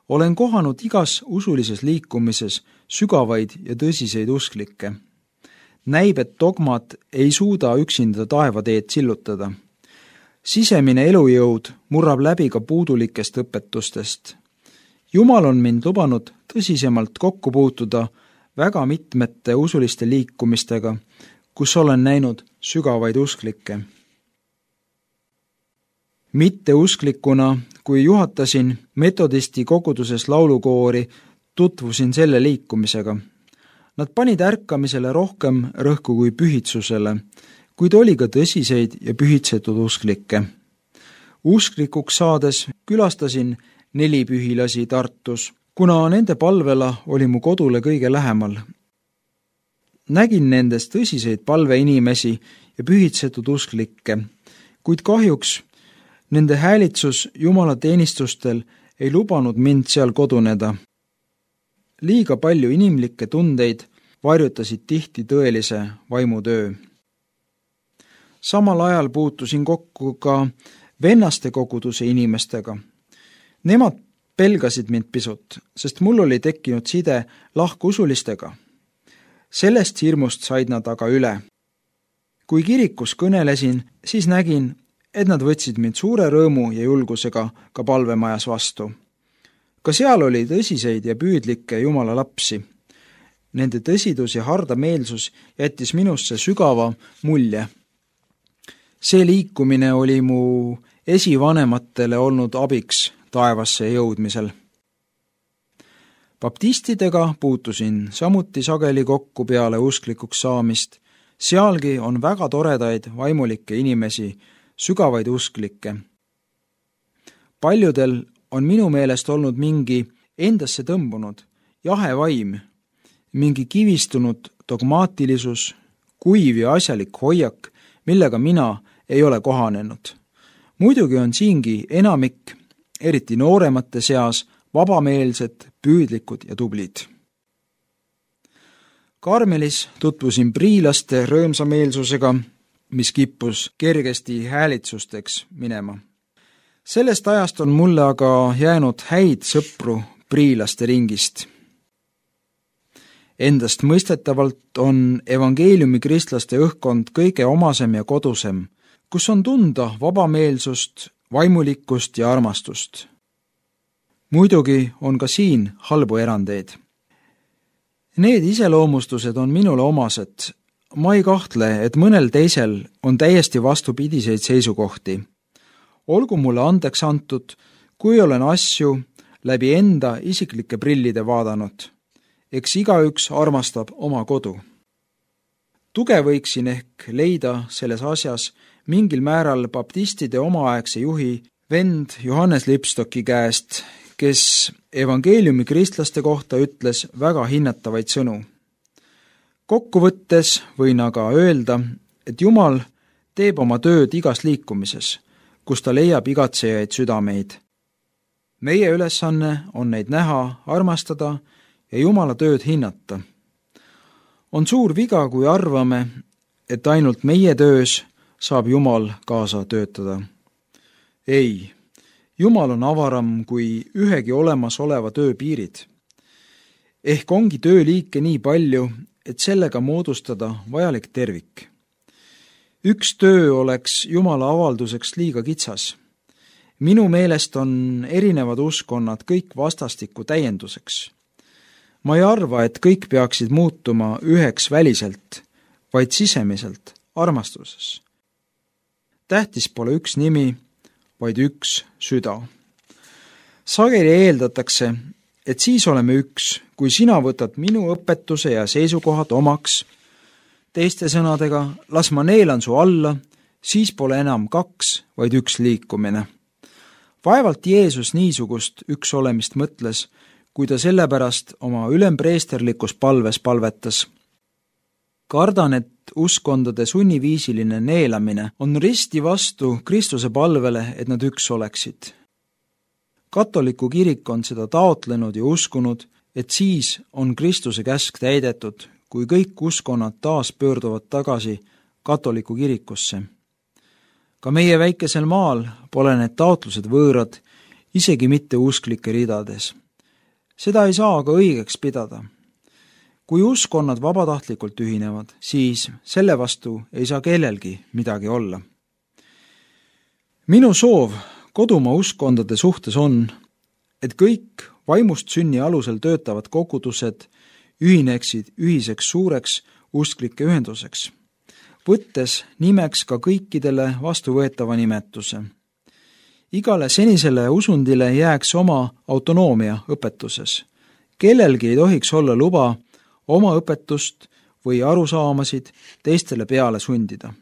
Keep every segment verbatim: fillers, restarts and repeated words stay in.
Olen kohanud igas usulises liikumises sügavaid ja tõsiseid usklikke. Näib, et dogmad ei suuda üksinda taevateed sillutada. Sisemine elujõud murrab läbi ka puudulikest õpetustest. Jumal on mind lubanud tõsisemalt kokku puutuda väga mitmete usuliste liikumistega, kus olen näinud sügavaid usklikke. Mitte usklikuna, kui juhatasin metodisti koguduses laulukoori, tutvusin selle liikumisega. Nad panid ärkamisele rohkem rõhku kui pühitsusele, kuid oli ka tõsiseid ja pühitsetud usklikke. Usklikuks saades külastasin neli pühilasi Tartus, kuna nende palvela oli mu kodule kõige lähemal. Nägin nendes tõsiseid palveinimesi ja pühitsetud usklikke, kuid kahjuks nende häälitsus Jumala teenistustel ei lubanud mind seal koduneda. Liiga palju inimlikke tundeid varjutasid tihti tõelise vaimutöö. Samal ajal puutusin kokku ka vennaste koguduse inimestega. Nemad pelgasid mind pisut, sest mul oli tekkinud side lahkusulistega. Sellest hirmust said nad aga üle. Kui kirikus kõnelesin, siis nägin, et nad võtsid mind suure rõõmu ja julgusega ka palvemajas vastu. Ka seal oli tõsiseid ja püüdlikke Jumala lapsi. Nende tõsidus ja hardameelsus jättis minusse sügava mulje. See liikumine oli mu esivanematele olnud abiks taevasse jõudmisel. Baptistidega puutusin samuti sageli kokku peale usklikuks saamist. Sealgi on väga toredaid vaimulikke inimesi, sügavaid usklikke. Paljudel on minu meelest olnud mingi endasse tõmbunud, jahe vaim, mingi kivistunud dogmaatilisus, kuiv ja asjalik hoiak, millega mina ei ole kohanenud. Muidugi on siingi enamik, eriti nooremate seas, vabameelsed, püüdlikud ja tublid. Karmelis tutvusin priilaste rõõmsameelsusega, mis kippus kergesti häälitsusteks minema. Sellest ajast on mulle aga jäänud häid sõpru priilaste ringist. Endast mõistetavalt on evangeeliumi kristlaste õhkkond kõige omasem ja kodusem, kus on tunda vabameelsust, vaimulikkust ja armastust. Muidugi on ka siin halbu erandeid. Need iseloomustused on minule omased. Ma ei kahtle, et mõnel teisel on täiesti vastupidiseid seisukohti. Olgu mulle andeks antud, kui olen asju läbi enda isiklike prillide vaadanud. Eks igaüks armastab oma kodu. Tuge võiksin ehk leida selles asjas mingil määral baptistide omaaegse juhi vend Johannes Lipstocki käest, kes evangeeliumi kristlaste kohta ütles väga hinnatavaid sõnu. Kokkuvõttes võin aga öelda, et Jumal teeb oma tööd igas liikumises, kus ta leiab igatsejaid südameid. Meie ülesanne on neid näha, armastada ja Jumala tööd hinnata. On suur viga, kui arvame, et ainult meie töös saab Jumal kaasa töötada. Ei, Jumal on avaram kui ühegi olemasoleva töö piirid. Ehk ongi tööliike nii palju, et sellega moodustada vajalik tervik. Üks töö oleks Jumala avalduseks liiga kitsas. Minu meelest on erinevad uskonnad kõik vastastikku täienduseks. Ma ei arva, et kõik peaksid muutuma üheks väliselt, vaid sisemiselt, armastuses. Tähtis pole üks nimi, vaid üks süda. Sageli eeldatakse, et siis oleme üks, kui sina võtad minu õpetuse ja seisukohad omaks. Teiste sõnadega, las ma neelan su alla, siis pole enam kaks, vaid üks liikumine. Vaevalt Jeesus niisugust üks olemist mõtles, kui ta sellepärast oma ülempreesterlikus palves palvetas. Kardan, et uskondade sunniviisiline neelamine on risti vastu Kristuse palvele, et nad üks oleksid. Katoliku kirik on seda taotlenud ja uskunud, et siis on Kristuse käsk täidetud, kui kõik uskonnad taas pöörduvad tagasi katoliku kirikusse. Ka meie väikesel maal pole need taotlused võõrad, isegi mitte usklike ridades. Seda ei saa aga õigeks pidada. Kui uskonnad vabatahtlikult ühinevad, siis selle vastu ei saa kellelgi midagi olla. Minu soov kodumaa uskkondade suhtes on, et kõik vaimust sünni alusel töötavad kogudused ühineksid ühiseks suureks usklike ühenduseks, võttes nimeks ka kõikidele vastuvõetava nimetuse. Igale senisele usundile jääks oma autonoomia õpetuses. Kellelgi ei tohiks olla luba oma õpetust või arusaamasid teistele peale sundida.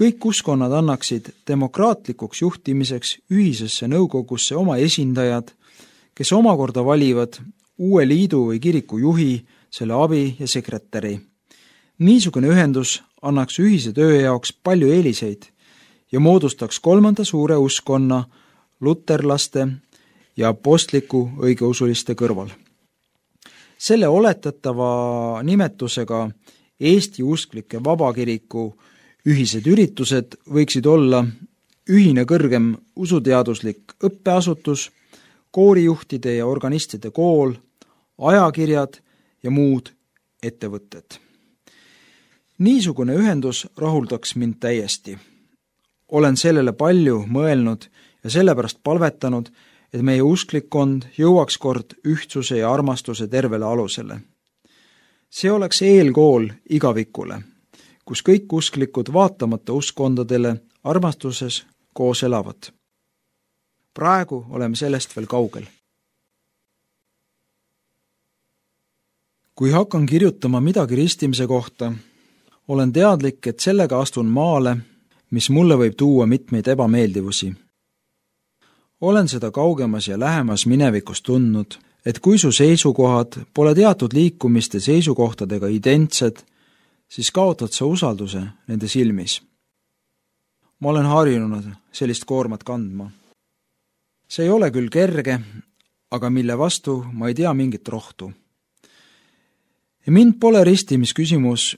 Kõik uskonnad annaksid demokraatlikuks juhtimiseks ühisesse nõukogusse oma esindajad, kes omakorda valivad uue liidu või kiriku juhi, selle abi ja sekretäri. Niisugune ühendus annaks ühise töö jaoks palju eeliseid ja moodustaks kolmanda suure uskonna luterlaste ja apostliku õigeusuliste kõrval. Selle oletatava nimetusega Eesti usklike vabakiriku ühised üritused võiksid olla ühine kõrgem usuteaduslik õppeasutus, koorijuhtide ja organistide kool, ajakirjad ja muud ettevõtted. Niisugune ühendus rahuldaks mind täiesti. Olen sellele palju mõelnud ja sellepärast palvetanud, et meie usklikkond jõuaks kord ühtsuse ja armastuse tervele alusele. See oleks eelkool igavikule, kus kõik usklikud vaatamata uskkondadele armastuses koos elavad. Praegu oleme sellest veel kaugel. Kui hakkan kirjutama midagi ristimise kohta, olen teadlik, et sellega astun maale, mis mulle võib tuua mitmeid ebameeldivusi. Olen seda kaugemas ja lähemas minevikus tundnud, et kui su seisukohad pole teatud liikumiste seisukohtadega identsed, siis kaotad sa usalduse nende silmis. Ma olen harjunud sellist koormat kandma. See ei ole küll kerge, aga mille vastu ma ei tea mingit rohtu. Ja mind pole ristimisküsimus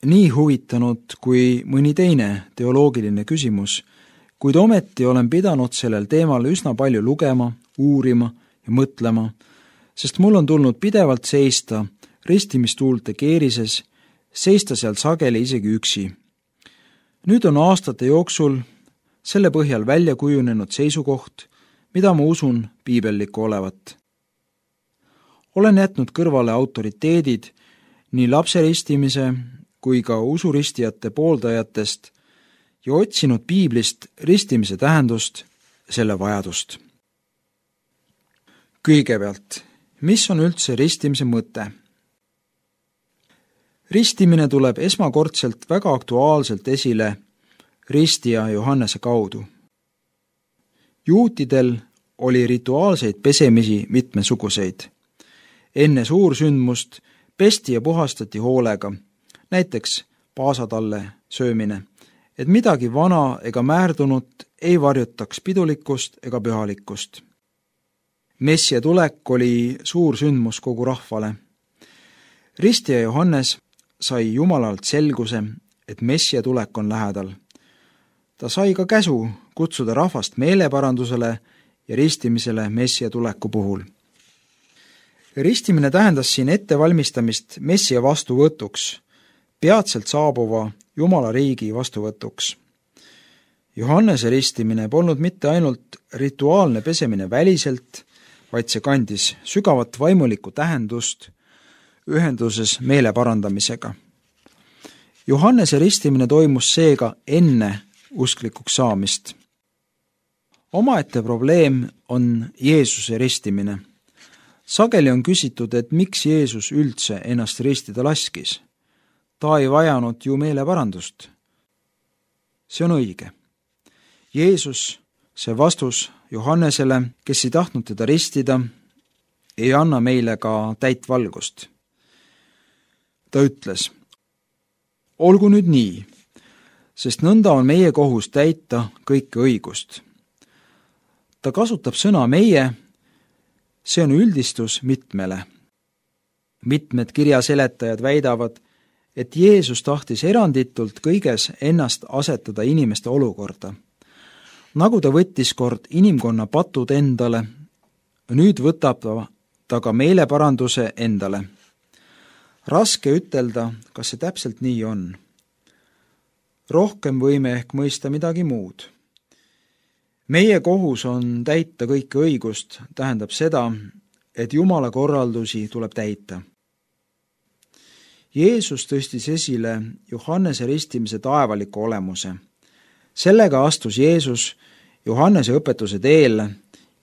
nii huvitanud kui mõni teine teoloogiline küsimus, kuid ometi olen pidanud sellel teemal üsna palju lugema, uurima ja mõtlema, sest mul on tulnud pidevalt seista ristimistuulte keerises, seista seal sageli isegi üksi. Nüüd on aastate jooksul selle põhjal välja kujunenud seisukoht, mida ma usun piibellikku olevat. Olen jätnud kõrvale autoriteedid nii lapseristimise kui ka usuristijate pooldajatest ja otsinud piiblist ristimise tähendust, selle vajadust. Kõigepealt, mis on üldse ristimise mõte? Ristimine tuleb esmakordselt väga aktuaalselt esile ristija Johannese kaudu. Juutidel oli rituaalseid pesemisi mitmesuguseid. Enne suursündmust pesti ja puhastati hoolega, näiteks paasatalle söömine, et midagi vana ega määrdunud ei varjutaks pidulikkust ega pühalikkust. Messia tulek oli suur sündmus kogu rahvale. Ristija Johannes sai Jumalalt selguse, et Messia tulek on lähedal. Ta sai ka käsu kutsuda rahvast meeleparandusele ja ristimisele Messia tuleku puhul. Ristimine tähendas siin ettevalmistamist Messia vastuvõtuks, peatselt saabuva Jumala riigi vastuvõtuks. Johannese ristimine polnud mitte ainult rituaalne pesemine väliselt, vaid see kandis sügavat vaimulikku tähendust ühenduses meele parandamisega. Johannese ristimine toimus seega enne usklikuks saamist. Omaette probleem on Jeesuse ristimine. Sageli on küsitud, et miks Jeesus üldse ennast ristida laskis. Ta ei vajanud ju meeleparandust. See on õige. Jeesus, see vastus Johannesele, kes ei tahtnud teda ristida, ei anna meile ka täit valgust. Ta ütles, olgu nüüd nii, sest nõnda on meie kohus täita kõike õigust. Ta kasutab sõna meie, see on üldistus mitmele. Mitmed kirjaseletajad väidavad, et Jeesus tahtis eranditult kõiges ennast asetada inimeste olukorda. Nagu ta võttis kord inimkonna patud endale, nüüd võtab ta ta ka meeleparanduse endale. Raske ütelda, kas see täpselt nii on. Rohkem võime ehk mõista midagi muud. Meie kohus on täita kõike õigust, tähendab seda, et Jumala korraldusi tuleb täita. Jeesus tõstis esile Johannese ristimise taevaliku olemuse. Sellega astus Jeesus Johannese õpetuse teele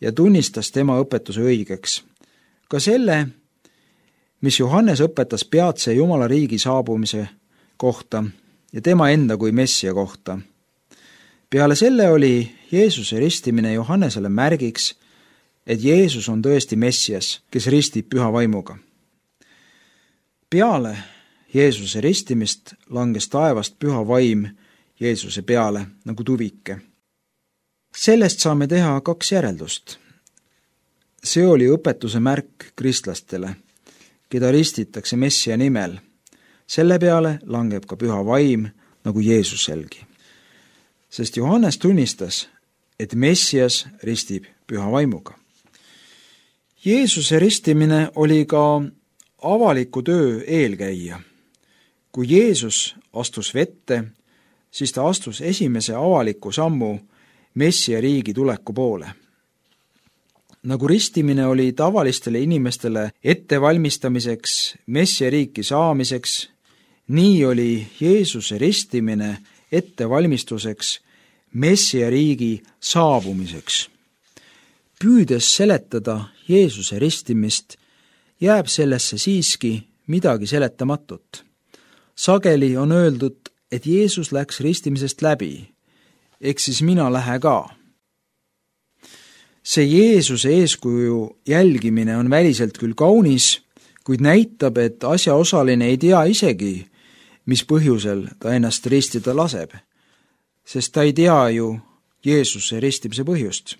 ja tunnistas tema õpetuse õigeks. Ka selle, mis Johannes õpetas peatse Jumala riigi saabumise kohta ja tema enda kui messia kohta. Peale selle oli Jeesuse ristimine Johannesele märgiks, et Jeesus on tõesti messias, kes ristib püha vaimuga. Peale Jeesuse ristimist langes taevast püha vaim Jeesuse peale nagu tuvike. Sellest saame teha kaks järeldust. See oli õpetuse märk kristlastele, keda ristitakse messia nimel. Selle peale langeb ka püha vaim nagu Jeesuselgi. Sest Johannes tunnistas, et messias ristib püha vaimuga. Jeesuse ristimine oli ka avaliku töö eelkäija. Kui Jeesus astus vette, siis ta astus esimese avaliku sammu messia riigi tuleku poole. Nagu ristimine oli tavalistele inimestele ettevalmistamiseks messia riiki saamiseks, nii oli Jeesuse ristimine ettevalmistuseks messia riigi saabumiseks. Püüdes seletada Jeesuse ristimist, jääb sellesse siiski midagi seletamatut. Sageli on öeldud, et Jeesus läks ristimisest läbi, ehk siis mina lähe ka. See Jeesuse eeskuju jälgimine on väliselt küll kaunis, kuid näitab, et asjaosaline ei tea isegi, mis põhjusel ta ennast ristida laseb, sest ta ei tea ju Jeesuse ristimise põhjust.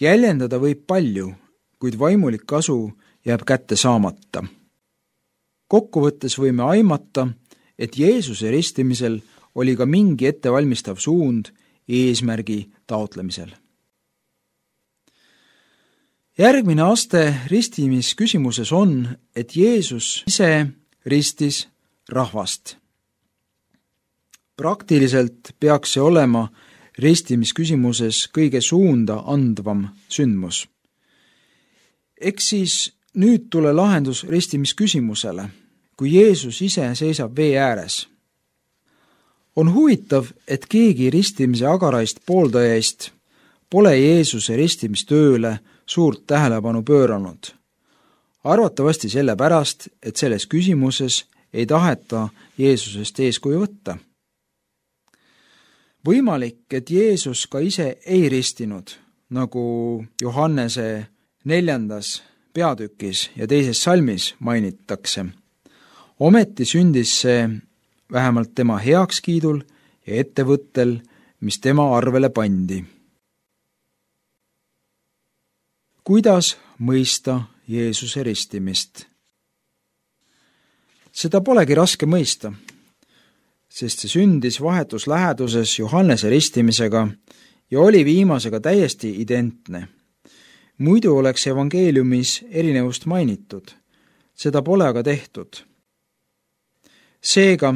Jäljendada võib palju, kuid vaimulik kasu jääb kätte saamata. Kokkuvõttes võime aimata, et Jeesuse ristimisel oli ka mingi ettevalmistav suund eesmärgi taotlemisel. Järgmine aste ristimisküsimuses on, et Jeesus ise ristis rahvast. Praktiliselt peaks see olema ristimisküsimuses kõige suunda andvam sündmus. Eks siis nüüd tule lahendus ristimisküsimusele, kui Jeesus ise seisab vee ääres. On huvitav, et keegi ristimise agaraist pooldajaist pole Jeesuse ristimistööle suurt tähelepanu pööranud. Arvatavasti sellepärast, et selles küsimuses ei taheta Jeesusest eeskuju võtta. Võimalik, et Jeesus ka ise ei ristinud, nagu Johannese neljandas peatükis ja teises salmis mainitakse. Ometi sündis see vähemalt tema heakskiidul ja ettevõttel, mis tema arvele pandi. Kuidas mõista Jeesuse ristimist? Seda polegi raske mõista, sest see sündis vahetus läheduses Johannese ristimisega ja oli viimasega täiesti identne. Muidu oleks evangeeliumis erinevust mainitud, seda pole aga tehtud. Seega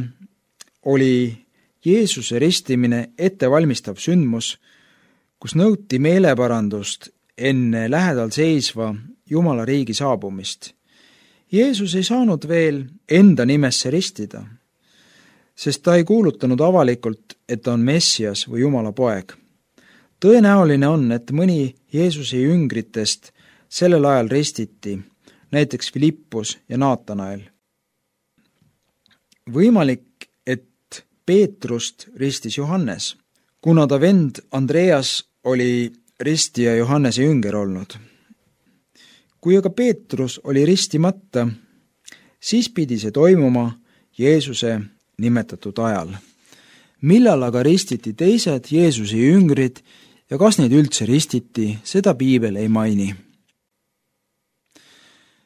oli Jeesuse ristimine ettevalmistav sündmus, kus nõuti meeleparandust enne lähedal seisva Jumala riigi saabumist. Jeesus ei saanud veel enda nimesse ristida, sest ta ei kuulutanud avalikult, et ta on Messias või Jumala poeg. Tõenäoline on, et mõni Jeesuse jüngritest sellel ajal ristiti, näiteks Filippus ja Naatanael. Võimalik, et Peetrust ristis Johannes, kuna ta vend Andreas oli ristija Johannese jünger olnud. Kui aga Peetrus oli ristimata, siis pidi see toimuma Jeesuse nimetatud ajal. Millal aga ristiti teised Jeesuse jüngrid ja kas neid üldse ristiti, seda Piibel ei maini.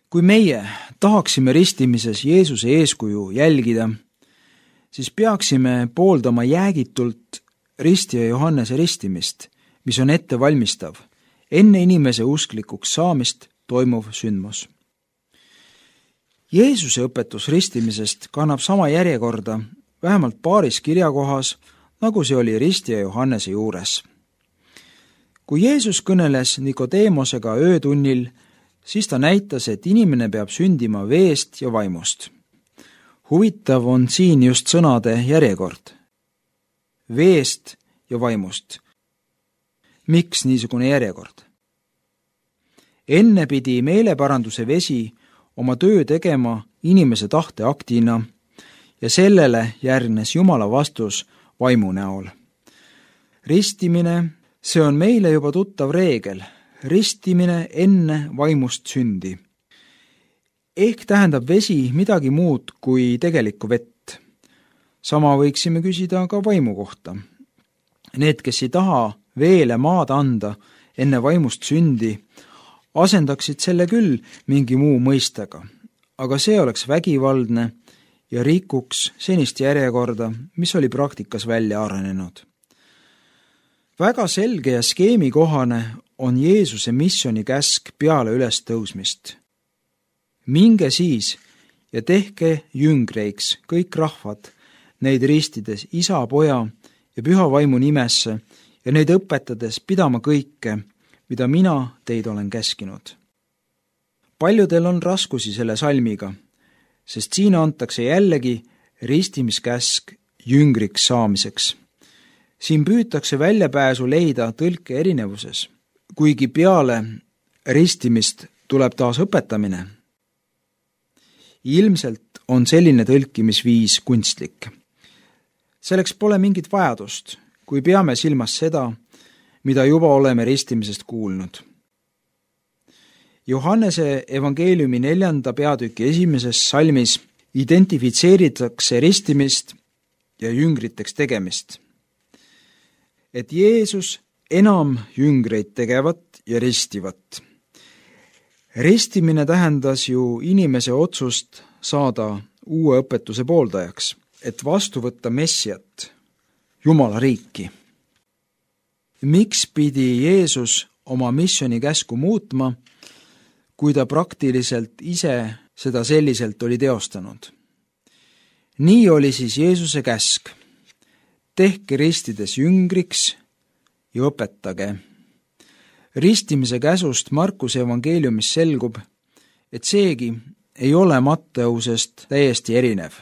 Kui meie tahaksime ristimises Jeesuse eeskuju jälgida, siis peaksime pooldama jäägitult ristija Johannese ristimist, mis on ettevalmistav enne inimese usklikuks saamist toimuv sündmus. Jeesuse õpetus ristimisest kannab sama järjekorda vähemalt paaris kirjakohas, nagu see oli ristija Johannese juures. Kui Jeesus kõneles Nikodeemosega öötunnil, siis ta näitas, et inimene peab sündima veest ja vaimust. Huvitav on siin just sõnade järjekord. Veest ja vaimust. Miks niisugune järjekord? Enne pidi meeleparanduse vesi oma töö tegema inimese tahteaktina ja sellele järgnes Jumala vastus vaimu näol. Ristimine, see on meile juba tuttav reegel, ristimine enne vaimust sündi. Ehk tähendab vesi midagi muud kui tegelikku vett. Sama võiksime küsida ka vaimu kohta. Need, kes ei taha veele maad anda enne vaimust sündi, asendaksid selle küll mingi muu mõistega, aga see oleks vägivaldne ja rikuks senist järjekorda, mis oli praktikas välja arenenud. Väga selge ja skeemikohane on Jeesuse missioni käsk peale ülestõusmist. Minge siis ja tehke jüngreiks kõik rahvad, neid ristides isa, poja ja püha vaimu nimesse ja neid õpetades pidama kõike, mida mina teid olen käskinud. Paljudel on raskusi selle salmiga, sest siin antakse jällegi ristimiskäsk jüngriks saamiseks. Siin püütakse väljapääsu leida tõlke erinevuses, kuigi peale ristimist tuleb taas õpetamine. Ilmselt on selline tõlkimisviis kunstlik. Selleks pole mingit vajadust, kui peame silmas seda, mida juba oleme ristimisest kuulnud. Johannese evangeeliumi neljanda peatüki esimeses salmis identifitseeritakse ristimist ja jüngriteks tegemist. Et Jeesus enam jüngreid tegevat ja ristivat. Ristimine tähendas ju inimese otsust saada uue õpetuse pooldajaks, et vastu võtta Messiat, Jumala riiki. Miks pidi Jeesus oma missioni käsku muutma, kui ta praktiliselt ise seda selliselt oli teostanud? Nii oli siis Jeesuse käsk. Tehke ristides jüngriks ja õpetage. Ristimise käsust Markuse evangeeliumis selgub, et seegi ei ole Matteusest täiesti erinev.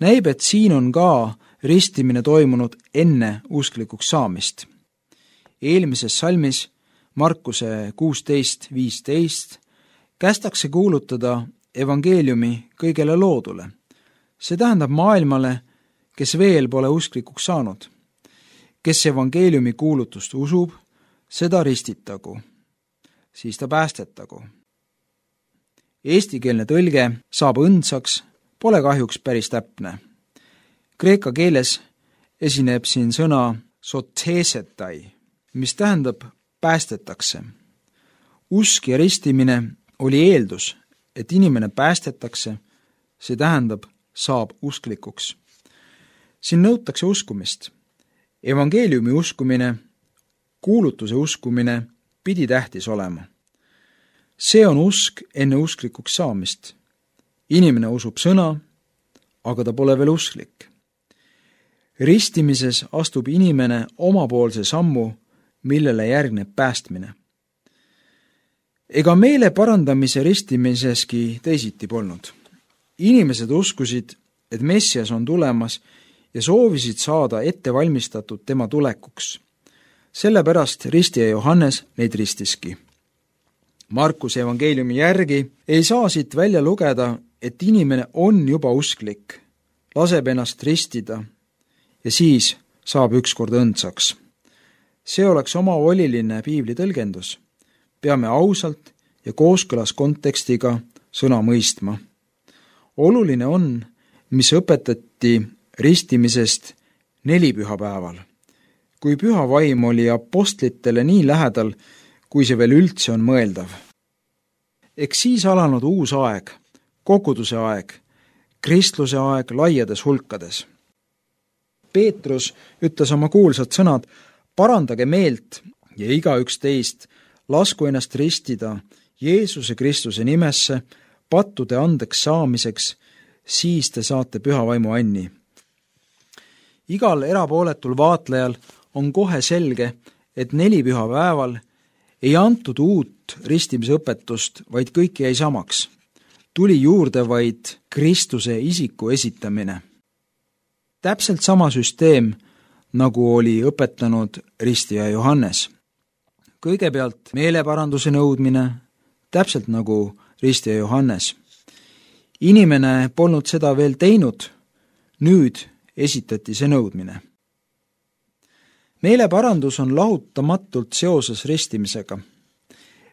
Näib, et siin on ka ristimine toimunud enne usklikuks saamist. Eelmises salmis Markuse kuusteist viisteist kästakse kuulutada evangeeliumi kõigele loodule. See tähendab maailmale, kes veel pole usklikuks saanud. Kes evangeeliumi kuulutust usub, seda ristitagu, siis ta päästetagu. Eestikeelne tõlge saab õndsaks, pole kahjuks päris täpne. Kreeka keeles esineb siin sõna sotesetai, mis tähendab päästetakse. Usk ja ristimine oli eeldus, et inimene päästetakse, see tähendab saab usklikuks. Siin nõutakse uskumist. Evangeeliumi uskumine, kuulutuse uskumine pidi tähtis olema. See on usk enne usklikuks saamist. Inimene usub sõna, aga ta pole veel usklik. Ristimises astub inimene omapoolse sammu, millele järgneb päästmine. Ega meele parandamise ristimiseski teisiti polnud. Inimesed uskusid, et Messias on tulemas ja soovisid saada ette valmistatud tema tulekuks. Sellepärast ristija Johannes neid ristiski. Markuse evangeeliumi järgi ei saa siit välja lugeda, et inimene on juba usklik, laseb ennast ristida ja siis saab ükskord õndsaks. See oleks omavoliline piibli tõlgendus. Peame ausalt ja kooskõlas kontekstiga sõna mõistma. Oluline on, mis õpetati ristimisest nelipühapäeval, kui püha vaim oli apostlitele nii lähedal, kui see veel üldse on mõeldav. Eks siis alanud uus aeg, koguduse aeg, kristluse aeg laiades hulkades. Peetrus ütles oma kuulsad sõnad, parandage meelt ja igaüks teist lasku ennast ristida Jeesuse Kristuse nimesse pattude andeks saamiseks, siis te saate püha vaimu anni. Igal erapooletul vaatlejal on kohe selge, et nelipühapäeval ei antud uut ristimisõpetust, vaid kõik jäi samaks. Tuli juurde vaid Kristuse isiku esitamine. Täpselt sama süsteem, nagu oli õpetanud ristija Johannes. Kõigepealt meeleparanduse nõudmine, täpselt nagu ristija Johannes. Inimene polnud seda veel teinud, nüüd esitati see nõudmine. Meeleparandus on lahutamatult seoses ristimisega.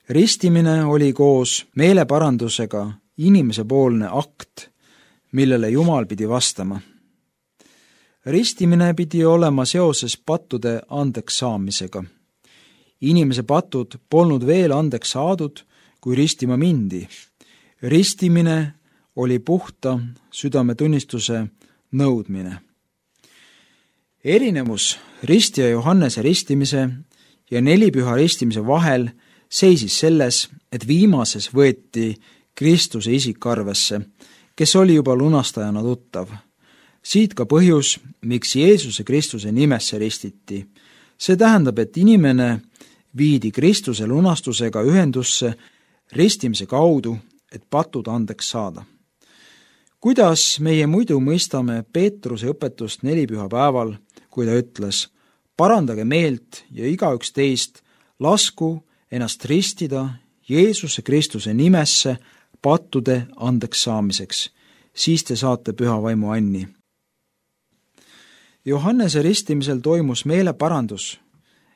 Ristimine oli koos meeleparandusega inimesepoolne akt, millele Jumal pidi vastama. Ristimine pidi olema seoses pattude andeks saamisega. Inimese patud polnud veel andeks saadud, kui ristima mindi. Ristimine oli puhta südametunnistuse nõudmine. Erinevus ristija Johannese ristimise ja nelipüha ristimise vahel seisis selles, et viimases võeti Kristuse isik arvesse, kes oli juba lunastajana tuttav. Siit ka põhjus, miks Jeesuse Kristuse nimesse ristiti. See tähendab, et inimene viidi Kristuse lunastusega ühendusse ristimise kaudu, et patud andeks saada. Kuidas meie muidu mõistame Peetruse õpetust nelipühapäeval, kui ta ütles, parandage meelt ja igaüks teist lasku ennast ristida Jeesuse Kristuse nimesse pattude andeks saamiseks, siis te saate püha vaimu anni. Johannese ristimisel toimus meeleparandus,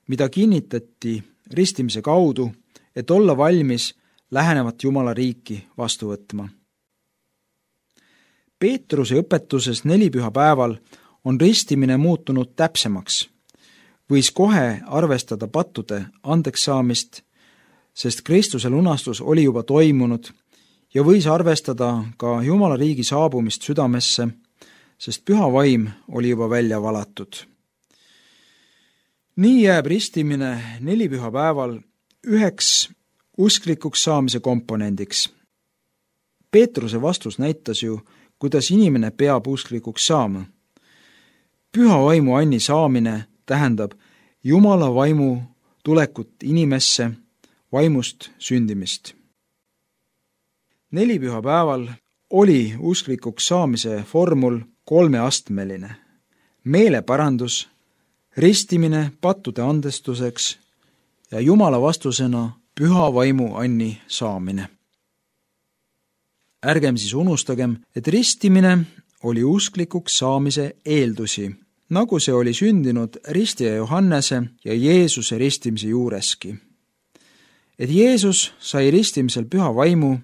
mida kinnitati ristimise kaudu, et olla valmis lähenevat Jumala riiki vastu võtma. Peetruse õpetuses nelipühapäeval on ristimine muutunud täpsemaks. Võis kohe arvestada pattude andeks saamist, sest Kristuse lunastus oli juba toimunud ja võis arvestada ka Jumala riigi saabumist südamesse, sest püha vaim oli juba välja valatud. Nii jääb ristimine nelipühapäeval üheks usklikuks saamise komponendiks. Peetruse vastus näitas ju, kuidas inimene peab usklikuks saama. Püha vaimu anni saamine tähendab Jumala vaimu tulekut inimesse, vaimust sündimist. Nelipühapäeval oli usklikuks saamise formul kolmeastmeline. Meeleparandus, ristimine pattude andestuseks ja Jumala vastusena püha vaimu anni saamine. Ärgem siis unustagem, et ristimine oli usklikuks saamise eeldusi, nagu see oli sündinud ristija Johannese ja Jeesuse ristimise juureski. Et Jeesus sai ristimisel püha vaimu,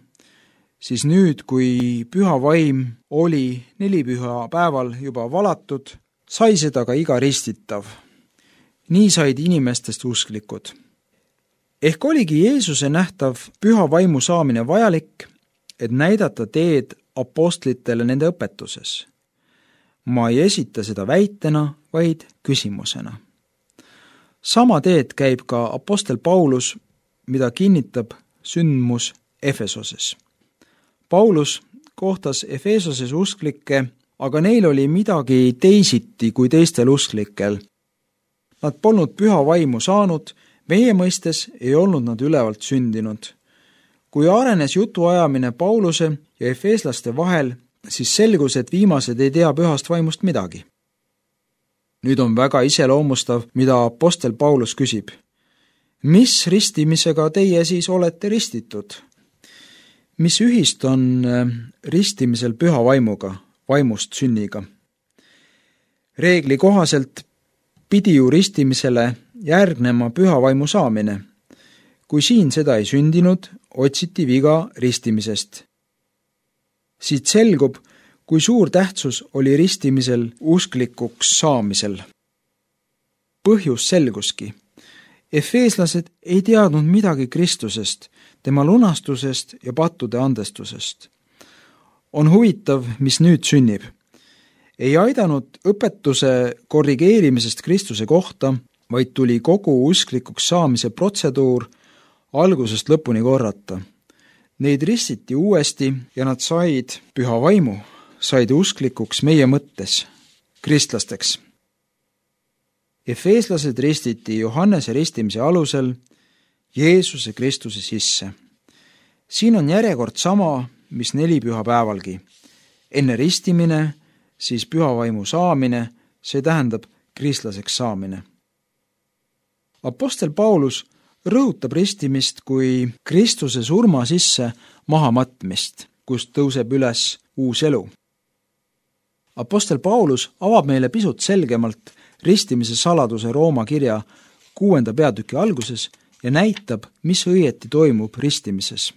siis nüüd, kui püha vaim oli nelipüha päeval juba valatud, sai seda ka iga ristitav. Nii said inimestest usklikud. Ehk oligi Jeesuse nähtav püha vaimu saamine vajalik, et näidata teed apostlitele nende õpetuses. Ma ei esita seda väitena, vaid küsimusena. Sama teed käib ka apostel Paulus, mida kinnitab sündmus Efesoses. Paulus kohtas Efesoses usklikke, aga neil oli midagi teisiti kui teistel usklikel. Nad polnud püha vaimu saanud, meie mõistes ei olnud nad ülevalt sündinud. Kui arenes jutuajamine Pauluse ja efeeslaste vahel, siis selgus, et viimased ei tea pühast vaimust midagi. Nüüd on väga iseloomustav, mida apostel Paulus küsib. Mis ristimisega teie siis olete ristitud? Mis ühist on ristimisel püha vaimuga, vaimust sünniga? Reegli kohaselt pidi ju ristimisele järgnema püha vaimu saamine. Kui siin seda ei sündinud, otsiti viga ristimisest. Siit selgub, kui suur tähtsus oli ristimisel usklikuks saamisel. Põhjus selguski. Efeeslased ei teadnud midagi Kristusest, tema lunastusest ja pattude andestusest. On huvitav, mis nüüd sünnib. Ei aidanud õpetuse korrigeerimisest Kristuse kohta, vaid tuli kogu usklikuks saamise protseduur algusest lõpuni korrata. Neid ristiti uuesti ja nad said püha vaimu, said usklikuks meie mõttes, kristlasteks. Efeeslased ristiti Johannese ristimise alusel Jeesuse Kristuse sisse. Siin on järjekord sama, mis neli pühapäevalgi. Enne ristimine, siis pühavaimu saamine, see tähendab kristlaseks saamine. Apostel Paulus rõhutab ristimist kui Kristuse surma sisse mahamatmist, kust tõuseb üles uus elu. Apostel Paulus avab meile pisut selgemalt ristimise saladuse Rooma kirja kuuenda peatüki alguses ja näitab, mis õieti toimub ristimises.